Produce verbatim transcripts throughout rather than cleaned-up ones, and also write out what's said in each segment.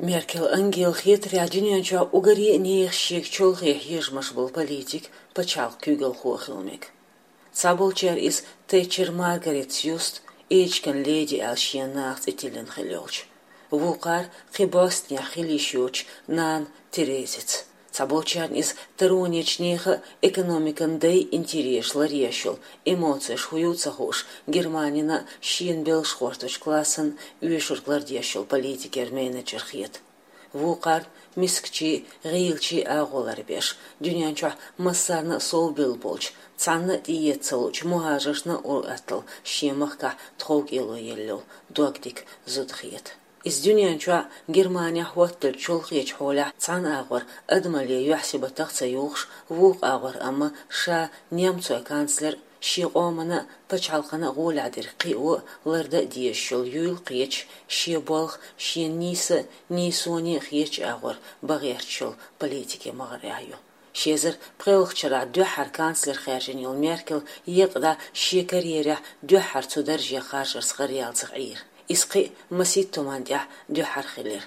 Меркел Ангела хетарехь, дуьнен чохь уггаре а нехан шега чолхе хьежамаш болу политик, пачхьалкх куьйгалхо а хила мега. Цхьаболчара иза Тэтчер Маргаритас юсту, эчиган леди аьлла шен наха цӀе тиллина хилла йолчу. Вукхара кхин бостнехь хила йиш йоцучу нана Терезица. Цхьаболчарна иза таронечу нехан а, экономикан дай интересаш ларъеш йолу, эмоцеш хӀун ю ца хууш, Германина шена белш гӀортачу классан оьшург лардеш йолу политикера менеджер хета. Вукхарна мискачийн, гӀийлачийн агӀо ларбеш, дуьнен чохь массарна а совбелла болчу, цхьанна а тӀеэца ца луучу мухӀажаршна а ур-атталла шен махкахь тховкӀело елла йолу догдика зуда хета. Иза дуьнен чохь, Германехь хӀотталчу чолхечу хьолехь цхьана агӀор адамалле юьхь-сибатах а ца юхуш, вукху агӀор амма ша немцойн канцлер, шен къомана а, пачхьалкхана а гӀолехь дерг кхио а, лардан а дезаш йолу юйла кхеташ, шен болх шена нийса а, нийсоне а хетачу агӀор бан гӀерташ йолу политике магӀарехь ю. Ши эзар пхоьалгӀачу шарахь дуьххьара канцлер хаьржина йолу Меркел екъа дӀа шен карьерехь дуьххьара цу дарже харжарца гӀараяьлла ца Ӏийра. Иза кхин а масийтта хӀуманна тӀехь дуьххьара хилира.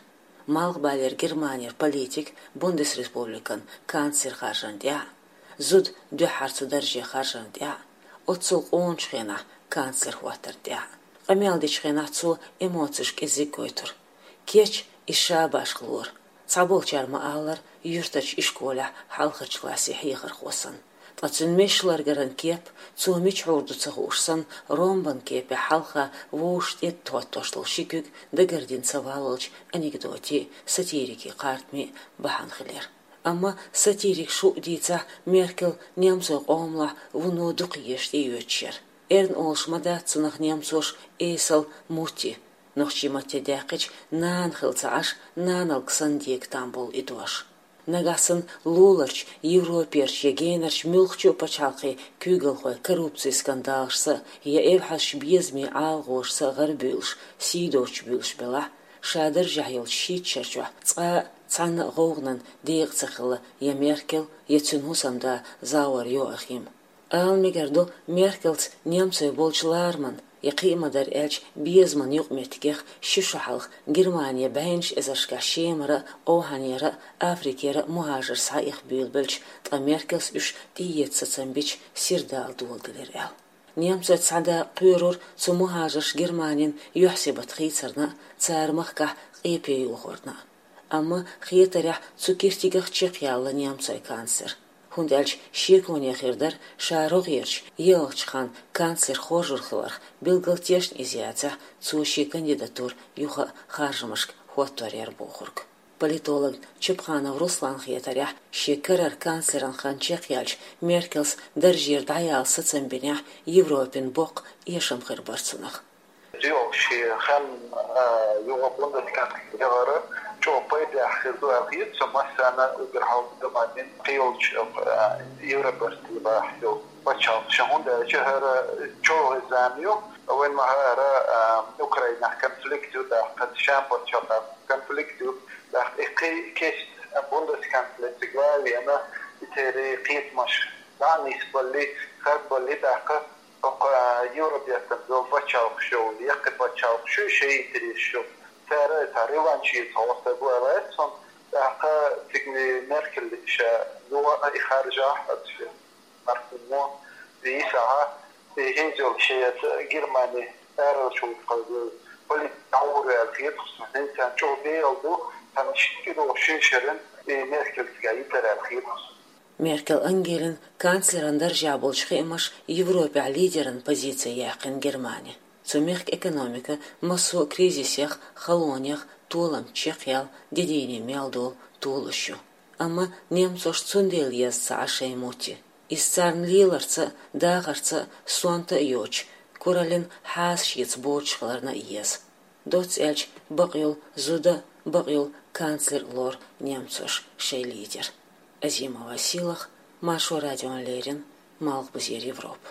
Малхбалера Германера политик Бундесреспубликан канцлер харжарна тӀехь а, зуда дуьххьара цу дарже харжарна тӀехь а, оццул къоначу хенахь канцлер хӀоттарна тӀехь а. Къамел дечу хенахь цо эмоцеш кӀезиг гойтура. Кеч иза ша башха лора. Цхьаболчара ма-аллара, юьртарчу ишколехь хьалхарчу классе хьехархо санна. Ткъа цуьнан мешаларгаран кеп, цо мича хьур ду ца хууш санна, ромбан кепехь хьалха вовшашна тӀетоттош долу ши куьг дагардина ца валлалчу анекдотийн, сатирикийн кхартамийн бахьана хилира. Амма сатирикаша хӀуъа дийцахь, Меркел немцойн къомалахь вуно дукхаезаш тӀеоьцуш яра. Эрна олуш ма дац цунах немцоша эсала Мутти, нохчийн матте даьккхича нана хилла ца Ӏаш, наналг санна дега там болу и дош. Нагахь санна луларчу, европерчу я генарчу муьлххачу а пачхьалкхийн куьйгалхой коррупцин скандалашца я эвхьазчу безамийн ӀалагӀошца гӀарабуьйлуш, сий доцуш буьйлуш белахь, ша даржехь йолчу шийтта шар чохь цкъа а цхьанна а гӀовгӀанан декъа ца хилла я Меркел, я цуьнан хӀусамда Зауэр Йоахим. Ала мегар ду, Меркелца немцойн болчу лараман, я кхин а ма-дарра аьлча, безаман юкъаметтигех ши шо хьалха Германе бӀеннаш эзаршкахь Шемара а, Овхьанера а, Африкера а мухӀажарш схьаэха буьйлабелча, ткъа Меркелс уьш тӀеэца сацам бича, сирдала доладелира аьлла. Немцойн цхьа да кхоьрура цу мухӀажарша Германин юьхь-сибат хийцарна а, цара махкахь къепе йохорна а. Амма хетарехь цу киртигах чекхъяьлла немцойн канцлер. ХӀунда аьлча шеконе хир дара, ша рогӀерчу, еллачу ханна канцлер хоржур хиларх, билггал тешна иза яцахь, цо шен кандидатура юха а харжамашка хӀоттор яра бохург. Политолог Чапханов Русланна хетарехь, шен карара канцлеран хан чекхъяьлча, Меркелс даржера дӀаяла сацам бинехь, Европин боккха эшам хир бара цунах. Йо, шен хан, а, юха бундесканцлер яхар чӀогӀа пайдехь хир ду аьлла хета со массарна а, уггар хьалха Германин кхийолчу, а, Европартийла йолу пачхьалкхашна, хӀунда аьлча хӀара чӀогӀа зама ю, вайн ма-аллара, а, Украинехь конфликт ю, тӀаккха Шеман пачхьалкхехь конфликт ю, тӀаккха и кхин кечдина бундесканцлер цига ван а веана, и церан кхетамаш дӀа а нисбаллий, харбаллий, тӀаккха хӀокху Европехь долу пачхьалкхаш йолу, яккхий пачхьалкхаш ю, шайн интересаш ю. Цара цхьа реванш эца гӀо стаг ву аьлла аьлла цунна, тӀаккха цига Меркел ша юха а и харжахь, аса мархо мо, и йисахь, и хӀинца йолу шен Германи аралаш ву тхо политика дӀагӀур аьлла хета-кх суна. ХӀинца чӀогӀа бегӀал ду, цхьана шина кӀиро шина шеран и Меркел цига йитар аьлла хета-кх суна. Меркел Ангелин канцлеран даржехь болчу хиамаш Европехь лидеран позици яьккхина Германи. Цу мехкан экономика массо а кризисех, халонех, толам чекхъяла, де дийне мел долу толуш ю. Амма немцош цундела еза ца Ӏа шайн Мутти. Иза царна леларца а, дахарца а, сонта а йоцуш, кураллин хьаса шеца боцуш хиларна а еза. Доцца аьлча, бакъйолу зуда а, бакъйолу канцлер а лору немцоша шайн лидер. Азимова Сийлаха, Маршо радиона леррина, Малхбузера Европа.